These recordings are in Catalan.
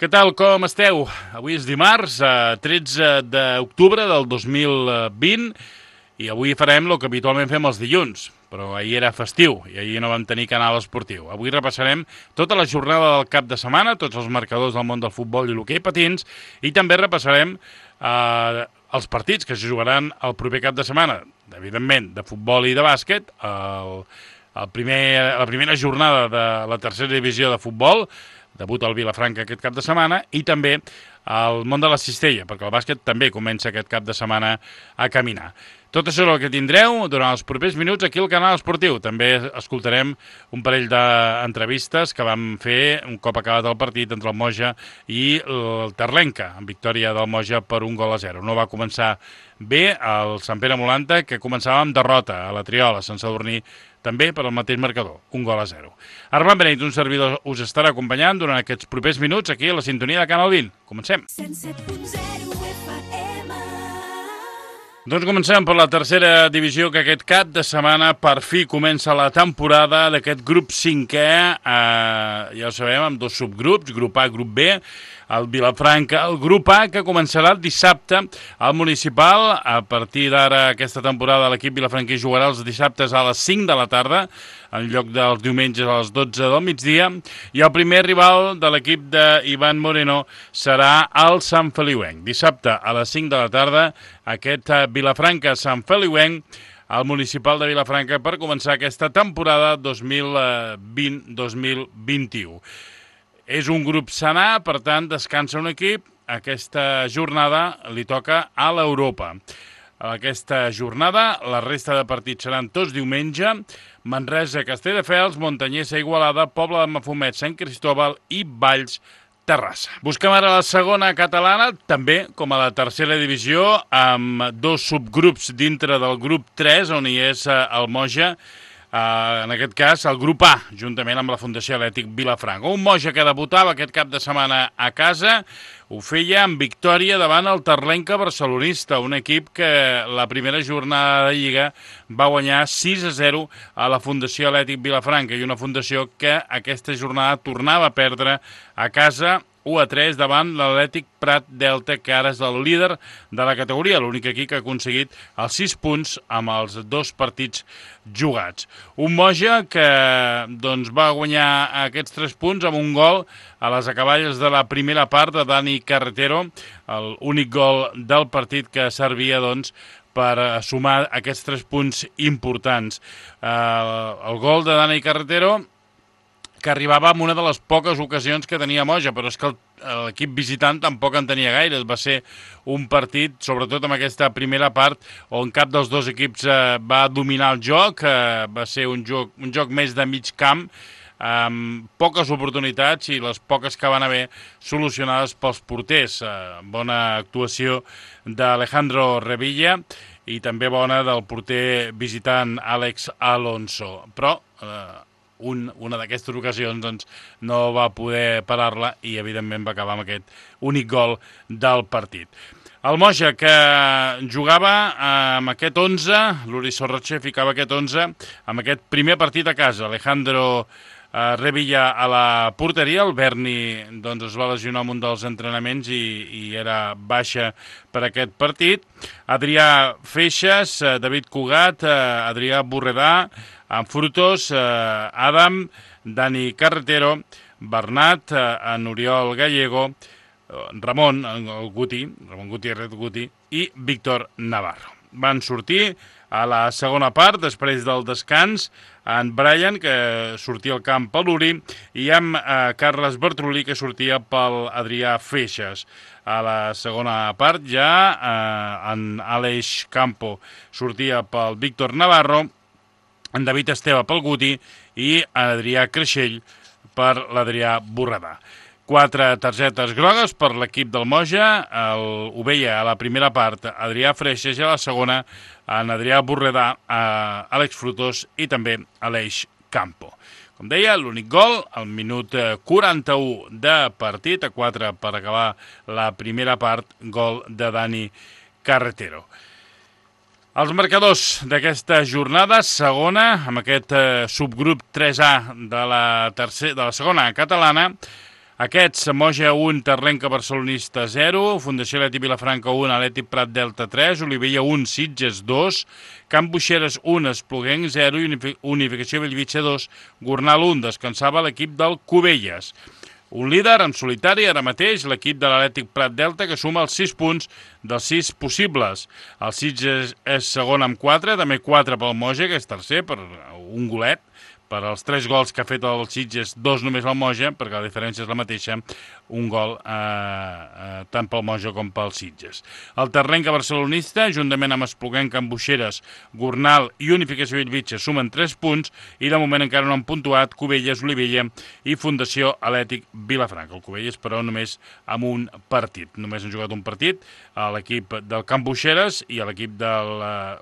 Què tal, com esteu? Avui és dimarts, 13 d'octubre del 2020, i avui farem el que habitualment fem els dilluns, però ahir era festiu i ahir no vam tenir canal esportiu. Avui repassarem tota la jornada del cap de setmana, tots els marcadors del món del futbol i l'hoquei patins, i també repassarem els partits que es jugaran el proper cap de setmana, evidentment, de futbol i de bàsquet, la primera jornada de la tercera divisió de futbol, debut al Vilafranca aquest cap de setmana, i també al món de la cistella, perquè el bàsquet també comença aquest cap de setmana a caminar. Tot això és el que tindreu durant els propers minuts aquí al canal esportiu. També escoltarem un parell d'entrevistes que vam fer un cop acabat el partit entre el Moja i el Terlenca, amb victòria del Moja per 1-0. No va començar bé el Sant Pere Molanta, que començava amb derrota a la Triola, sense dormir també per al mateix marcador, 1-0. Armand Beneit, un servidor, us estarà acompanyant durant aquests propers minuts aquí a la sintonia de Canal 20. Comencem. 107.0 FM. Doncs comencem per la tercera divisió, que aquest cap de setmana per fi comença la temporada d'aquest grup 5è, ja ho sabem, amb dos subgrups, grup A, grup B, el Vilafranca, el grup A, que començarà el dissabte al Municipal. A partir d'ara, aquesta temporada, l'equip vilafranquí jugarà els dissabtes a les 5 de la tarda, en lloc dels diumenges a les 12 del migdia, i el primer rival de l'equip d'Ivan Moreno serà el Sant Feliuenc. Dissabte a les 5 de la tarda, aquest Vilafranca-Sant Feliuenc, al Municipal de Vilafranca, per començar aquesta temporada 2020-2021. És un grup sanar, per tant, descansa un equip. Aquesta jornada li toca a l'Europa. Aquesta jornada, la resta de partits seran tots diumenge. Manresa, Castelldefels, Montanyesa, Igualada, Pobla de Mafumet, Sant Cristóbal i Valls, Terrassa. Busquem ara la segona catalana, també com a la tercera divisió, amb dos subgrups dintre del grup 3, on hi és el Moja. En aquest cas, el grup A, juntament amb la Fundació Atlètic Vilafranca. Un Moja que debutava aquest cap de setmana a casa, ho feia amb victòria davant el Terlenca barcelonista, un equip que la primera jornada de Lliga va guanyar 6-0 a la Fundació Atlètic Vilafranca, i una fundació que aquesta jornada tornava a perdre a casa 1-3 davant l'Atlètic Prat Delta, que ara és el líder de la categoria, l'únic equip que ha aconseguit els 6 punts amb els 2 partits jugats. Un Moja que va guanyar aquests 3 punts amb un gol a les acaballes de la primera part de Dani Carretero, l'únic gol del partit que servia per sumar aquests 3 punts importants. El gol de Dani Carretero, que arribava amb una de les poques ocasions que tenia Moja, però és que l'equip visitant tampoc en tenia gaire. Va ser un partit, sobretot en aquesta primera part, on cap dels dos equips va dominar el joc. Va ser un joc més de mig camp, amb poques oportunitats, i les poques que van haver solucionades pels porters. Bona actuació d'Alejandro Revilla i també bona del porter visitant Àlex Alonso. Però una d'aquestes ocasions no va poder parar-la i evidentment va acabar amb aquest únic gol del partit. El Moja, que jugava amb aquest 11, l'Uri Sorroche ficava aquest 11 amb aquest primer partit a casa. Alejandro Revilla a la porteria, el Berni es va lesionar en un dels entrenaments i era baixa per aquest partit. Adrià Feixas, David Cugat, Adrià Borredà, amb Frutos, Adam, Dani Carretero, Bernat, en Oriol Gallego, Ramon Gutiérrez i Víctor Navarro. Van sortir a la segona part, després del descans, en Brian, que sortia al camp per l'Uri, i amb Carles Bertrolí, que sortia pel Adrià Feixas. A la segona part ja en Aleix Campo sortia pel Víctor Navarro, en David Esteve pel Guti i Adrià Creixell per l'Adrià Borredà. 4 targetes grogues per l'equip del Moja. Ho veia a la primera part Adrià Freixas, i a la segona en Adrià Borredà, Àlex Frutos i també Aleix Campo. Com deia, l'únic gol al minut 41 de partit, a 4 per acabar la primera part, gol de Dani Carretero. Els marcadors d'aquesta jornada, segona, amb aquest subgrup 3A de la segona catalana, Aquests, Moja 1, Terlenca Barcelonista 0, Fundació Atlètic Vilafranca 1, Atlètic Prat Delta 3, Olivella 1, Sitges 2, Camp Buixeres 1, Espluguenc 0 i Unificació Bellvitge 2, Gornal 1. Descansava l'equip del Cubelles. Un líder en solitari ara mateix, l'equip de l'Atlètic Prat Delta, que suma els 6 punts dels 6 possibles. El Sitges és segon amb 4, també 4 pel Moja, que és tercer per un golet. Per als 3 gols que ha fet el Sitges, 2 només el Moja, perquè la diferència és la mateixa, un gol tant pel Moja com pel Sitges. El Terlenca Barcelonista, juntament amb Espluguenc, Can Buixeres, Gornal i Unificació Bellvitge, sumen 3 punts i de moment encara no han puntuat Cubelles, Olivella i Fundació Atlètic Vilafranca. El Cubelles, però, només amb un partit. Només han jugat un partit a l'equip del Can Buixeres i a l'equip del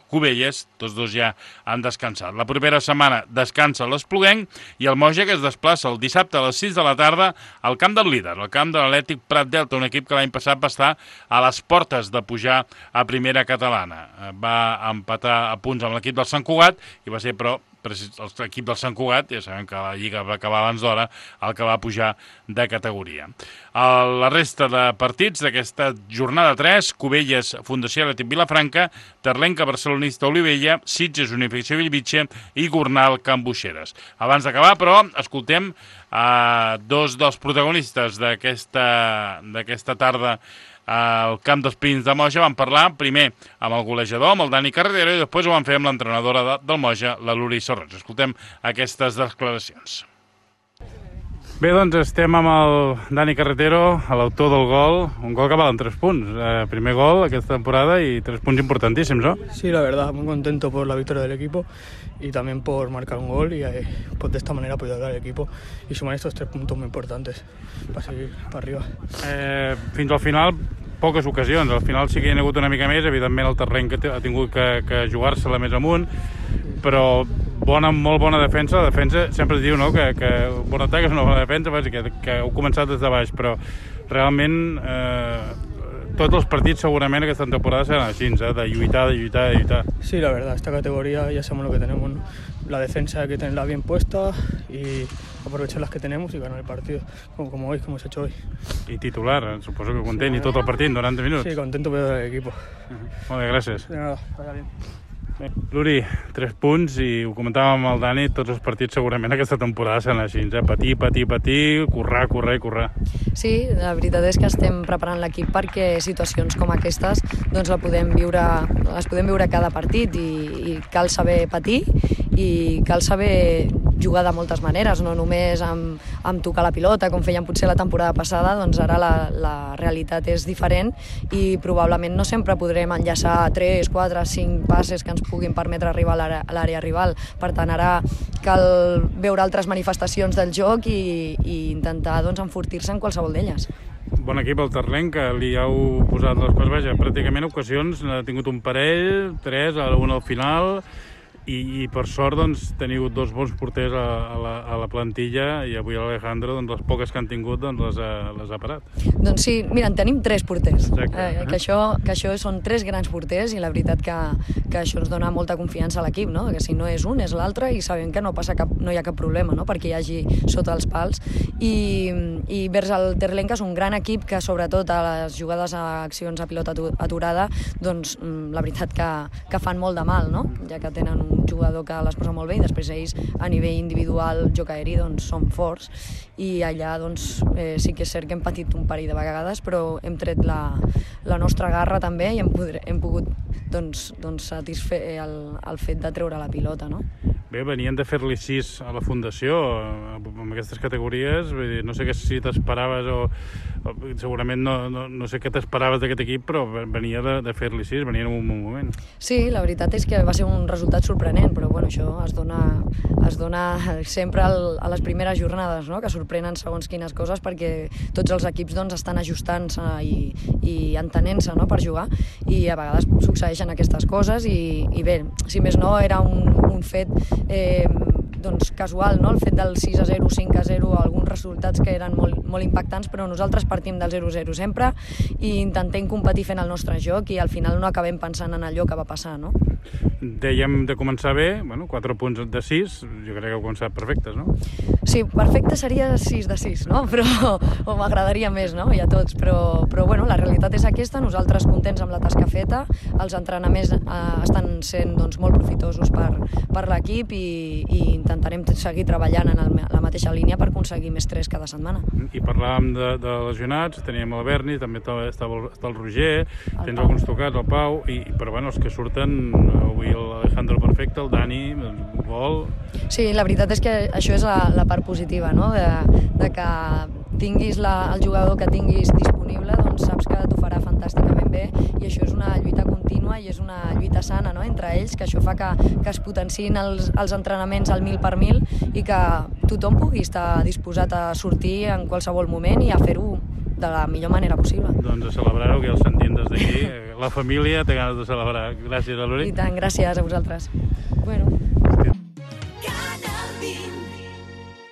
Cubelles. Tots dos ja han descansat. La propera setmana descansa l'Espluguenc i el Moja, que es desplaça el dissabte a les 6 de la tarda al camp del líder, al camp de l'Atlètic Prat Delta, un equip que l'any passat va estar a les portes de pujar a primera catalana. Va empatar a punts amb l'equip del Sant Cugat i va ser, però, l'equip del Sant Cugat, ja sabem que la Lliga va acabar abans d'hora, el que va pujar de categoria. La resta de partits d'aquesta jornada 3, Cubelles, Fundació Atlètic Vilafranca, Terlenca Barcelonista, Olivella, Sitges, Unificació Bellvitge i Gornal, Can Buixeres. Abans d'acabar, però, escoltem dos dels protagonistes d'aquesta tarda al camp dels Pins de Moja. Vam parlar primer amb el golejador, amb el Dani Carretero, i després ho vam fer amb l'entrenadora del Moja, la Luri Sorroig. Escoltem aquestes declaracions. Bé, doncs estem amb el Dani Carretero, l'autor del gol, un gol que valen 3 punts. Primer gol aquesta temporada y 3 puntos importantísimos, ¿no? Sí, la verdad, muy contento por la victoria del equipo y también por marcar un gol y pues de esta manera apoyar al equipo y sumar estos 3 puntos muy importantes para seguir para arriba. Fins al final, poques ocasions. Al final sí que hi ha hagut una mica més, evidentment el terreny que ha tingut que jugar-se-la més amunt, però molt bona defensa. La defensa sempre es diu, no?, que bon atac és una bona defensa, que heu començat des de baix, però realment tots els partits segurament aquesta temporada seran així, de lluitar. Sí, la verdad, esta categoría ya sabemos lo que tenemos, ¿no? La defensa hay que tenerla bien puesta y aprovechar las que tenemos y ganar el partido, como hoy, como hemos hecho hoy. I titular, suposo que content, i tot el partit, 90 minuts. Sí, contento por el equipo. Molt bé, gràcies. De nada, vaya bien. Luri, 3 punts, i ho comentàvem amb el Dani, tots els partits segurament aquesta temporada seran així, patir, currar. Sí, la veritat és que estem preparant l'equip perquè situacions com aquestes doncs les podem viure cada partit i cal saber patir i cal saber jugar de moltes maneres, no només amb tocar la pilota, com feien potser la temporada passada, doncs ara la realitat és diferent i probablement no sempre podrem enllaçar 3, 4, 5 passes que ens puguin permetre arribar a l'àrea rival. Per tant, ara cal veure altres manifestacions del joc i intentar doncs, enfortir-se en qualsevol d'elles. Bon equip el Terlenc, que li heu posat les coses, pràcticament ocasions, n'ha tingut un parell, 3, una al final, i per sort doncs, teniu 2 bons porters a la plantilla i avui l'Alejandro, doncs, les poques que han tingut doncs, les ha parat. Doncs sí, mira, en tenim 3 porters, que això són 3 grans porters i la veritat que això ens dona molta confiança a l'equip, no? Que si no és un és l'altre i sabem que no hi ha cap problema, no?, perquè hi hagi sota els pals. I vers el Terlenca és un gran equip que sobretot a les jugades a accions a pilota aturada doncs la veritat que fan molt de mal, no?, ja que tenen un jugador que les posa molt bé i després ells a nivell individual, joc aeri, doncs són forts i allà doncs sí que és cert que hem patit un parell de vegades però hem tret la nostra garra també i hem pogut doncs satisfer el fet de treure la pilota, no? Bé, venien de fer-li 6 a la Fundació amb aquestes categories, vull dir, no sé si t'esperaves o segurament no sé què t'esperaves d'aquest equip, però venia de fer-li 6, venia en un bon moment. Sí, la veritat és que va ser un resultat sorprenent, però bueno, això es dona sempre a les primeres jornades, no?, que sorprenen segons quines coses perquè tots els equips doncs, estan ajustant-se i entenent-se, no?, per jugar i a vegades succeeixen aquestes coses i bé, si més no era un fet doncs casual, no?, el fet del 6-0, 5-0, alguns resultats que eren molt impactants, però nosaltres partim del 0-0 sempre i intentem competir fent el nostre joc i al final no acabem pensant en allò que va passar, no? Dèiem de començar bé, 4 punts de 6, jo crec que heu començat perfectes, no? Sí, perfecte seria 6 de 6, no? O m'agradaria més, no? I a tots, però bueno, la realitat és aquesta, nosaltres contents amb la tasca feta, els entrenaments estan sent doncs, molt profitosos per l'equip i intentarem seguir treballant en la mateixa línia per aconseguir més 3 cada setmana. I parlàvem de lesionats, teníem el Berni, també està el Roger, tens alguns tocats, el Pau, però bueno, els que surten avui l'Alejandro perfecte, el Dani, el gol... Sí, la veritat és que això és la part positiva, no? De que tinguis el jugador que tinguis disponible, doncs saps que t'ho farà fantàsticament bé i això és una lluita contínua i és una lluita sana, no? Entre ells, que això fa que es potenciïn els entrenaments al 1000 per 1000 i que tothom pugui estar disposat a sortir en qualsevol moment i a fer-ho de la millor manera possible. Doncs a celebrar-ho, que ja el sentim des d'aquí. La família té ganes de celebrar. Gràcies, Alori. I tant, gràcies a vosaltres. Bueno.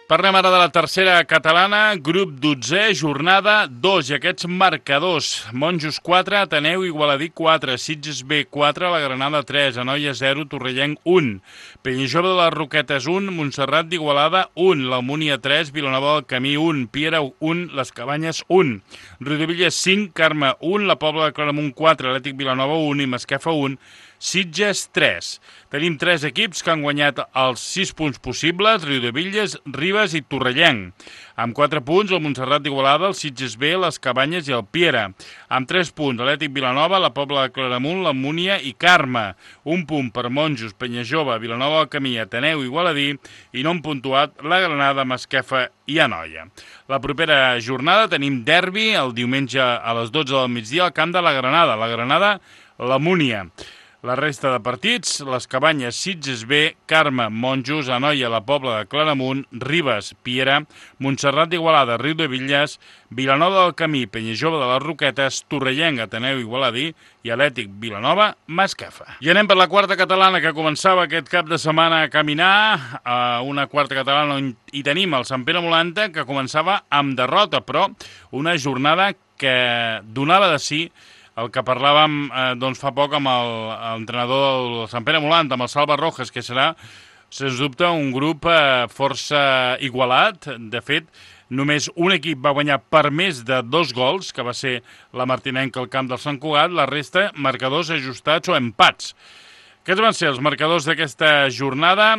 Parlem ara de la tercera catalana, grup 12, jornada 2, i aquests marcadors. Monjos 4, Ateneu Igualadí 4, Sitges B 4, la Granada 3, Anoia 0, Torrellenc 1, Penyajove de les Roquetes 1, Montserrat d'Igualada 1, l'Almúnia 3, Vilanova del Camí 1, Piera 1, les Cabanyes 1, Riudebitlles 5, Carme 1, la Pobla de Claramunt 4, Atlètic Vilanova 1 i Masquefa 1, Sitges 3. Tenim 3 equips que han guanyat els 6 punts possibles, Riudebitlles, Ribes i Torrellenc. Amb 4 punts, el Montserrat d'Igualada, el Sitges B, les Cabanyes i el Piera. Amb 3 punts, Atlètic Vilanova, la Pobla de Claramunt, l'Almúnia i Carme. 1 punt per Monjos, Penyajove, Vilanova del Camí, Ateneu i Igualadí, i no han puntuat la Granada, Masquefa i Anoia. La propera jornada tenim derbi el diumenge a les 12 del migdia al camp de la Granada, l'Almúnia. La resta de partits, les Cabanyes, Sitges B, Carme, Monjos, Anoia, la Pobla de Claramunt, Ribes, Piera, Montserrat d'Igualada, Riudebitlles, Vilanova del Camí, Penyajove de les Roquetes, Torrellenc, Ateneu Igualadí i Atlètic Vilanova, Masquefa. I anem per la quarta catalana que començava aquest cap de setmana a caminar, una quarta catalana on hi tenim el Sant Pere Molanta que començava amb derrota, però una jornada que donava de si el que parlàvem fa poc amb l'entrenador del Sant Pere Molanta, amb el Salva Rojas, que serà, sens dubte, un grup força igualat. De fet, només un equip va guanyar per més de 2 gols, que va ser la Martinenca al camp del Sant Cugat, la resta marcadors ajustats o empats. Aquests van ser els marcadors d'aquesta jornada.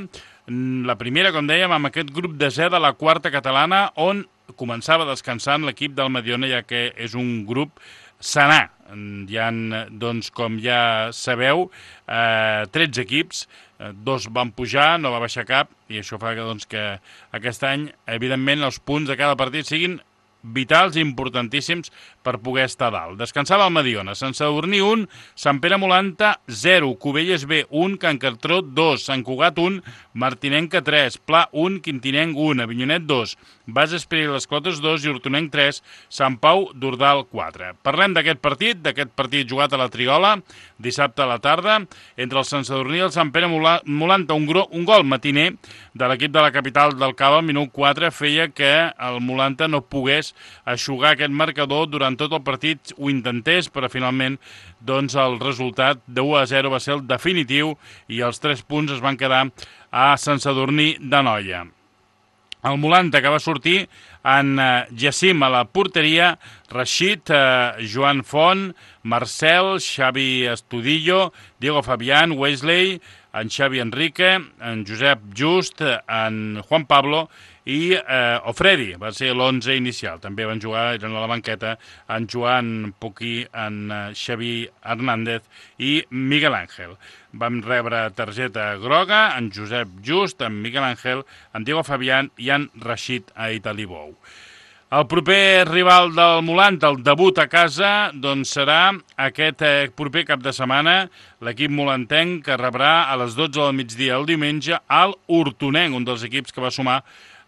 La primera, com dèiem, amb aquest grup de Z de la quarta catalana, on començava descansant l'equip del Mediona, ja que és un grup sanar. Hi ha, doncs, com ja sabeu, 13 equips, 2 van pujar, no va baixar cap, i això fa que aquest any, evidentment, els punts de cada partit siguin vitals i importantíssims per poder estar dalt. Descansava el Mediona, Sant Sadurní 1, Sant Pere Molanta 0, Cubelles B 1, Can Cartró 2, Sant Cugat 1, Martinenca 3, Pla 1, Quintinenc 1, Avinyonet 2, Bas Esperi les Clotes 2 i Hortonenc 3, Sant Pau d'Ordal 4. Parlem d'aquest partit jugat a la Triola, dissabte a la tarda, entre el Sant Sadurní i el Sant Pere Molanta. Un gol matiner de l'equip de la capital del Cava al minut 4 feia que el Molanta no pogués eixugar aquest marcador durant tot el partit, ho intentés, però finalment el resultat de 1-0 va ser el definitiu i els 3 punts es van quedar a Sant Sadurní d'Anoia. El Molanta, que va sortir en Jacim a la porteria, Rashid, Joan Font, Marcel, Xavi Estudillo, Diego Fabián, Wesley, en Xavi Enrique, en Josep Just, en Juan Pablo i Ofredi, va ser l'11 inicial. També van jugar, eren a la banqueta, en Joan Puquí, en Xavi Hernández i Miguel Ángel. Vam rebre targeta groga, en Josep Just, en Miguel Ángel, en Diego Fabián i en Rashid Aitalibou. El proper rival del Molanta, el debut a casa, serà aquest proper cap de setmana, l'equip molantenc que rebrà a les 12 del migdia el diumenge al Hortonenc, un dels equips que va sumar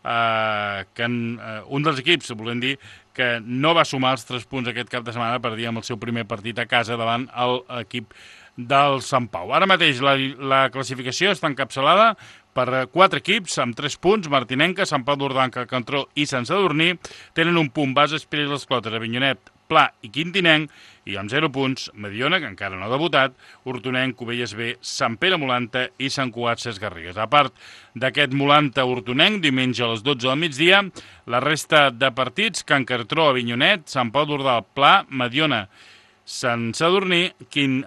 un dels equips, volem dir, que no va sumar els 3 punts aquest cap de setmana per dir amb el seu primer partit a casa davant l'equip del Sant Pau. Ara mateix la classificació està encapçalada per 4 equips amb 3 punts, Martinenca, Sant Pau d'Ordal, Can Cartró i Sant Sadurní. Tenen un punt, Bas Esperi les Clotes, Avinyonet, Pla i Quintinenc, i amb 0 punts, Mediona, que encara no ha debutat, Hortonenc, Cubelles B, Sant Pere Molanta i Sant Cugat Ses Garrigues. A part d'aquest Molanta-Hortonenc, diumenge a les 12 del migdia, la resta de partits, Can Cartró, Avinyonet, Sant Pau d'Ordal, Pla, Mediona, Sant Sadurní,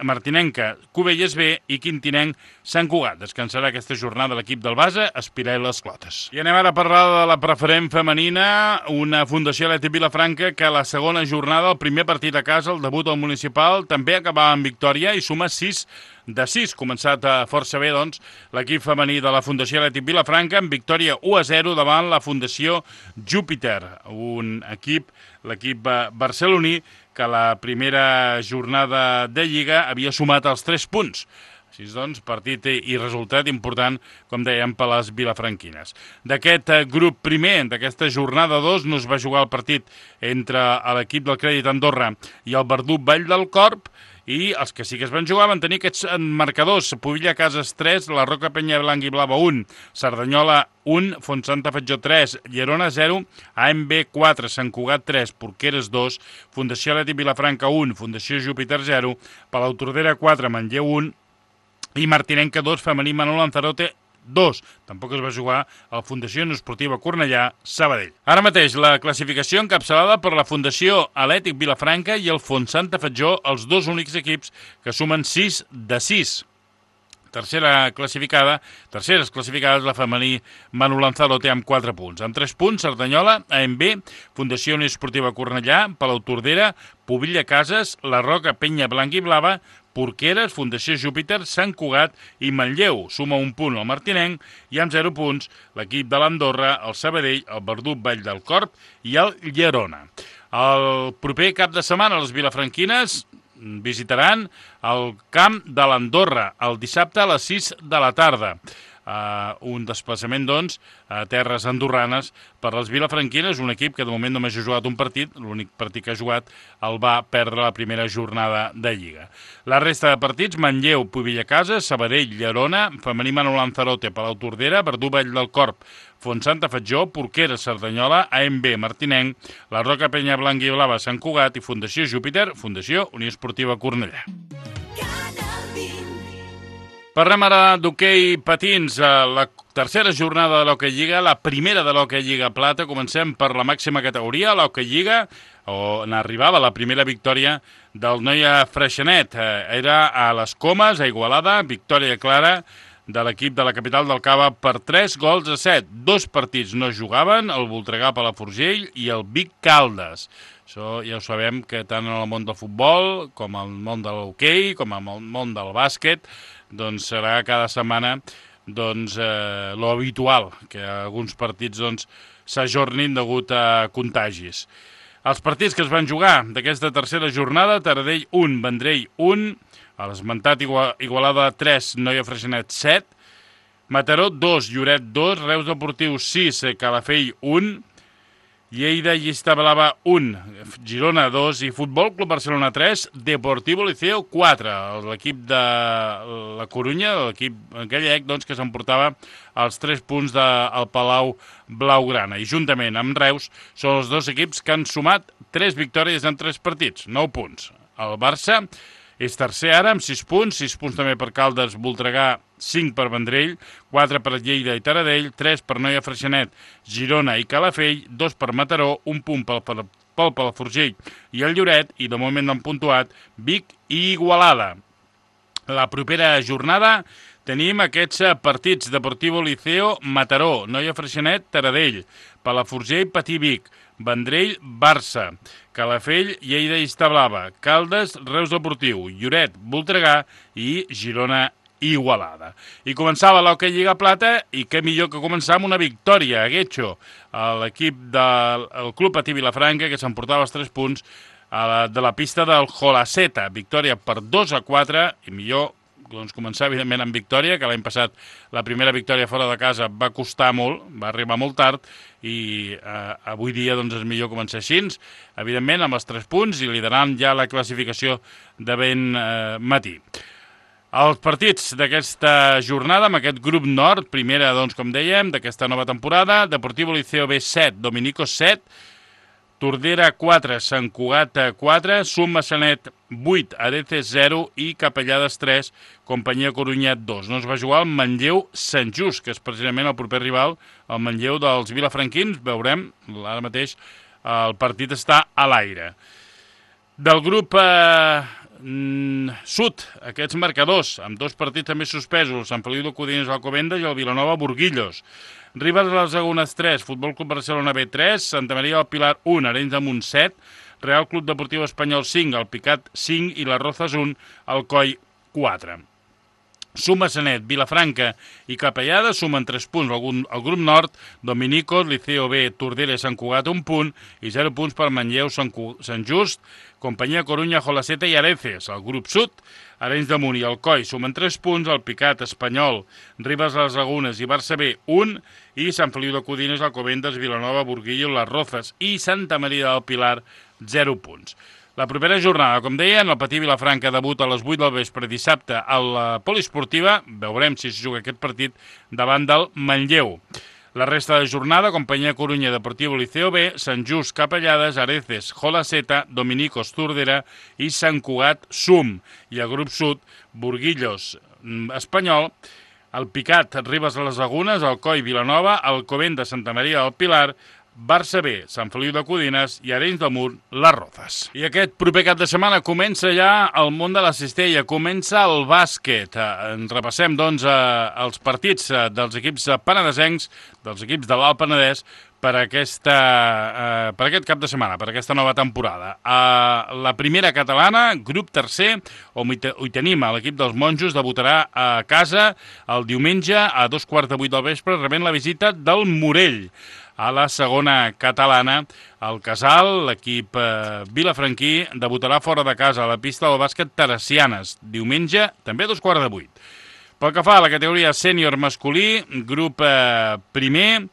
Martinenca, Cubelles B i Quintinenc, Sant Cugat. Descansarà aquesta jornada l'equip del Basa, Espiral i les Clotes. I anem ara a parlar de la preferent femenina, una Fundació Atlètic Vilafranca que a la segona jornada, el primer partit a casa, el debut al municipal, també acabava en victòria i suma 6 de 6. Començat força bé, doncs, l'equip femení de la Fundació Atlètic Vilafranca amb victòria 1-0 davant la Fundació Júpiter, un equip, l'equip barceloní, que la primera jornada de Lliga havia sumat els 3 punts. Així doncs, partit i resultat important, com dèiem, per les vilafranquines. D'aquest grup primer, d'aquesta jornada 2, no es va jugar el partit entre l'equip del Crèdit Andorra i el Verdú Vall del Corp, i els que sí que es van jugar van tenir aquests marcadors: Pubilla Cases 3, la Roca Penya Blanc i Blava 1, Cerdanyola 1, Fontsanta Fatjó 3, Llerona 0, AMB 4, Sant Cugat 3, Porqueres 2, Fundació Atlètic Vilafranca 1, Fundació Júpiter 0, Palautordera 4, Manlleu 1 i Martinenca 2, femení Manol Lanzarote 2. Tampoc es va jugar a la Fundació Esportiva Cornellà Sabadell. Ara mateix la classificació encapçalada per la Fundació Atlètic Vilafranca i el Fontsanta Fatjó, els dos únics equips que sumen 6 de 6. Terceres classificades la femení Manu Lanzarote amb 4 punts. Amb 3 punts, Cerdanyola, AMB, Fundació Esportiva Cornellà, Palautordera, Pubilla Cases, la Roca Penya Blanc i Blava, Porqueres, Fundació Júpiter, Sant Cugat i Manlleu. Suma 1 punt el Martinenc i amb 0 punts l'equip de l'Andorra, el Sabadell, el Verdú Vall del Corp i el Llerona. El proper cap de setmana les vilafranquines visitaran el camp de l'Andorra el dissabte a les 6 de la tarda. Un desplaçament, doncs, a terres andorranes per les vilafranquines, un equip que de moment només ha jugat un partit, l'únic partit que ha jugat el va perdre la primera jornada de Lliga. La resta de partits, Manlleu, Pubilla Cases, Sabadell, Llerona, femení Manu Lanzarote, Palautordera, Verdú Vall del Corp, Fontsanta Fatjó, Porqueres, Cerdanyola, AMB, Martinenc, la Roca Penya Blanc i Blava, Sant Cugat i Fundació Júpiter, Fundació Unió Esportiva Cornellà. Parlem ara d'hoquei patins, la tercera jornada de l'Hoquei Lliga, la primera de l'Hoquei Lliga Plata. Comencem per la màxima categoria, l'Hoquei Lliga, on arribava la primera victòria del Noia Freixenet. Era a les Comes, a Igualada, victòria clara de l'equip de la capital del Cava per 3-7. 2 partits no jugaven, el Voltregà, Palafrugell i el Vic Caldes. Això ja ho sabem que tant en el món del futbol, com en el món de l'hoquei, com en el món del bàsquet, doncs serà cada setmana lo habitual, que alguns partits s'ajornin degut a contagis. Els partits que es van jugar d'aquesta tercera jornada, Taradell 1, Vendrell 1, a l'esmentat Igualada 3, Noia Freixenet 7, Mataró 2, Lloret 2, Reus Deportiu 6, Calafell 1, Lleida Llista Blava 1, Girona 2 i Futbol Club Barcelona 3, Deportivo Liceo 4. L'equip de la Corunya, l'equip gallec, que s'emportava els 3 punts del Palau Blaugrana. I juntament amb Reus són els dos equips que han sumat 3 victòries en 3 partits, 9 punts. El Barça és tercer ara amb 6 punts, 6 punts també per Caldes, Voltregà, 5 per Vendrell, 4 per Lleida i Taradell, 3 per Noia Freixenet, Girona i Calafell, 2 per Mataró, 1 punt pel Palafrugell i el Lloret, i de moment han puntuat Vic i Igualada. La propera jornada tenim aquests partits: Deportivo Liceo, Mataró, Noia Freixenet, Taradell, Palafrugell, Patí Vic, Vendrell, Barça, Calafell, Lleida i Establava, Caldes, Reus Deportiu, Lloret, Voltregà i Girona Igualada. I començava l'Hoquei Lliga Plata, i què millor que començar amb una victòria a Guetxo, l'equip del Club Patí Vilafranca, que s'emportava els 3 punts de la pista del Jolaceta. Victòria per 2-4, i millor començar evidentment amb victòria, que l'any passat la primera victòria fora de casa va costar molt, va arribar molt tard, i avui dia és millor començar així, evidentment amb els 3 punts i liderant ja la classificació de ben matí. Els partits d'aquesta jornada, amb aquest grup nord, primera, com dèiem, d'aquesta nova temporada: Deportivo Liceo B 7, Dominico 7, Tordera 4, Sant Cugat 4, Sum Massanet 8, Areces 0 i Capellades 3, Companyia Corunya 2. No es va jugar el Manlleu-Sant Just, que és precisament el proper rival, el Manlleu dels vilafranquins. Veurem, ara mateix el partit està a l'aire. Del grup sud, aquests marcadors, amb 2 partits també suspesos, Sant Feliu de Codines Alcobendas i el Vilanova Burguillos. Ribes de les Lagunes 3, Futbol Club Barcelona B 3, Santa Maria del Pilar 1, Arenys de Munt 7, Real Club Deportiu Espanyol 5, el Picat 5 i les Rozas 1, Alcoi 4. Suma Sanet, Vilafranca i Capellada sumen 3 punts. El grup nord, Dominicos, Liceo B, Tordera i Sant Cugat 1 punt i 0 punts per Manlleu, Sant Just, Companyia Corunya, Jolaceta i Areces. El grup sud, Arenys de Munt i Alcoi sumen 3 punts, el Picat, Espanyol, Ribes de les Lagunes i Barça B 1 i Sant Feliu de Codines, Alcobendas, Vilanova, Burguillo, les Rozas i Santa Maria del Pilar 0 punts. La propera jornada, com deien, el Patí Vilafranca debuta a les 8 del vespre dissabte a la Poliesportiva. Veurem si es juga aquest partit davant del Manlleu. La resta de jornada, Companyia Corunya, Deportivo Liceo B, Sant Just, Capellades, Areces, Jolaceta, Dominicos, Tordera i Sant Cugat, Sum. I el grup sud, Burguillos, Espanyol, el Picat, Ribes de les Lagunes, Alcoi, Vilanova, Alcobendas, Santa Maria del Pilar, Barça B, Sant Feliu de Codines i Arenys de Munt, les Rozas. I aquest proper cap de setmana comença ja el món de la cistella, comença el bàsquet. Repassem, doncs, els partits dels equips penedesencs, dels equips de l'Alt Penedès, per aquest cap de setmana, per aquesta nova temporada. La primera catalana, grup tercer, on hi tenim l'equip dels monjos, debutarà a casa el diumenge a 7:15 del vespre, rebent la visita del Morell. A la segona catalana, el Casal, l'equip vilafranquí, debutarà fora de casa a la pista del bàsquet Teresianes, diumenge, també a 7:15. Pel que fa a la categoria sènior masculí, grup primer,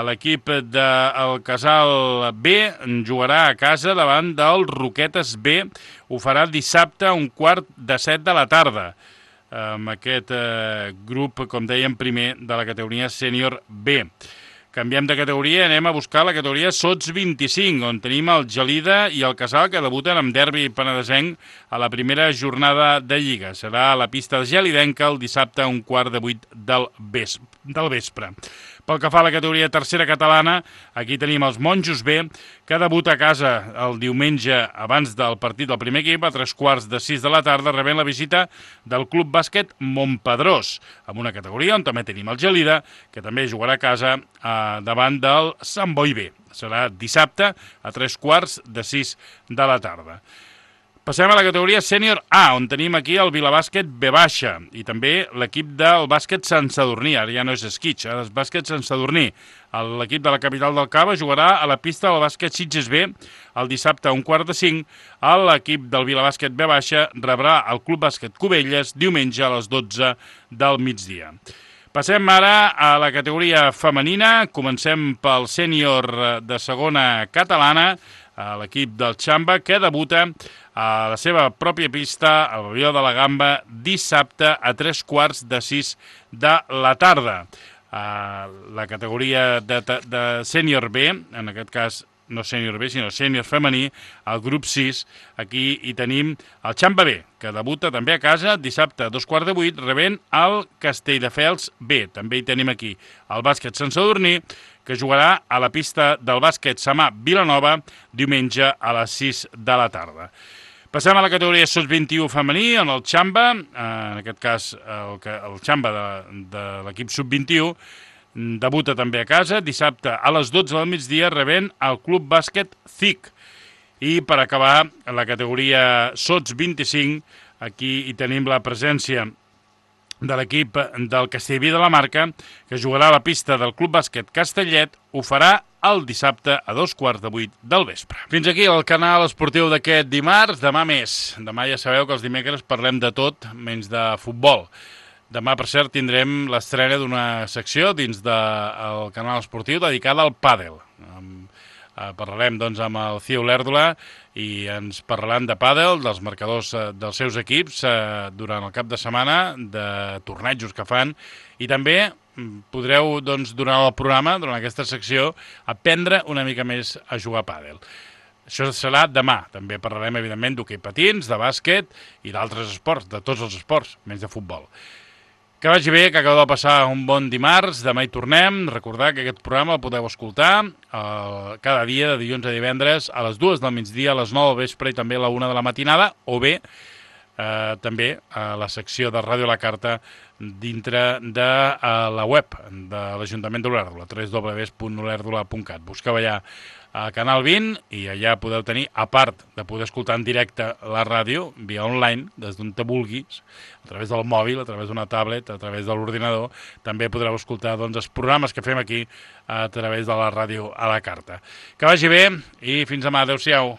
l'equip del Casal B jugarà a casa davant del Roquetes B, ho farà dissabte a 6:15 de la tarda. Amb aquest grup, com dèiem, primer de la categoria sènior B. Canviem de categoria, anem a buscar la categoria Sots 25, on tenim el Gelida i el Casal, que debuten amb derbi penedesenc a la primera jornada de Lliga. Serà a la pista gelidenca el dissabte a 7:15 del vespre. Pel que fa a la categoria tercera catalana, aquí tenim els Monjos B, que debuta a casa el diumenge abans del partit del primer equip, a 5:45 de la tarda, rebent la visita del Club Bàsquet Montpedrós, amb una categoria on també tenim el Gelida, que també jugarà a casa davant del Sant Boi B. Serà dissabte a 5:45 de la tarda. Passem a la categoria sènior A, on tenim aquí el Vilabàsquet B baixa i també l'equip del bàsquet Sant Sadurní. Ara ja no és Esquitx, ara és bàsquet Sant Sadurní. L'equip de la capital del Cava jugarà a la pista del bàsquet Sitges B el dissabte a 4:45. L'equip del Vilabàsquet B baixa rebrà el Club Bàsquet Cubelles diumenge a les 12 del migdia. Passem ara a la categoria femenina. Comencem pel sènior de segona catalana, l'equip del Xamba, que debuta a la seva pròpia pista, al Pavelló de la Gamba, dissabte a 5:45 de la tarda. La categoria de sènior B, en aquest cas no sènior B, sinó sènior femení, el grup 6, aquí hi tenim el Xamba B, que debuta també a casa dissabte a 7:15, rebent el Castelldefels B. També hi tenim aquí el bàsquet Sant Sadurní, que jugarà a la pista del bàsquet Samà Vilanova diumenge a les 6 de la tarda. Passem a la categoria Sots 21 femení, on el Xamba, en aquest cas el Xamba de l'equip sub-21, debuta també a casa dissabte a les 12 del migdia, rebent el Club Bàsquet CIC. I per acabar, la categoria Sots 25, aquí hi tenim la presència de l'equip del Castellví de la Marca, que jugarà a la pista del Club Bàsquet Castellet, ho farà el dissabte a 7:15 del vespre. Fins aquí el canal esportiu d'aquest dimarts. Demà més. Demà ja sabeu que els dimecres parlem de tot, menys de futbol. Demà, per cert, tindrem l'estrena d'una secció dins del canal esportiu dedicada al pàdel. Parlarem doncs, amb el Cio Lèrdola i ens parlaran de pàdel, dels marcadors dels seus equips durant el cap de setmana, de tornejos que fan, i també podreu, doncs, durant el programa, durant aquesta secció, aprendre una mica més a jugar a pàdel. Això serà demà. També parlarem, evidentment, d'hoquei patins, de bàsquet i d'altres esports, de tots els esports, menys de futbol. Que vagi bé, que acabeu de passar un bon dimarts, demà hi tornem. Recordar que aquest programa el podeu escoltar cada dia, de dilluns a divendres, a les 2 del migdia, a les 9 del vespre i també a la 1 de la matinada, o bé també a la secció de Ràdio a la Carta dintre de la web de l'Ajuntament d'Olèrdola, www.olèrdola.cat. Busqueu allà a Canal 20 i allà podeu tenir, a part de poder escoltar en directe la ràdio, via online, des d'on te vulguis, a través del mòbil, a través d'una tablet, a través de l'ordinador, també podreu escoltar doncs, els programes que fem aquí a través de la ràdio a la carta. Que vagi bé i fins demà. Adéu-siau.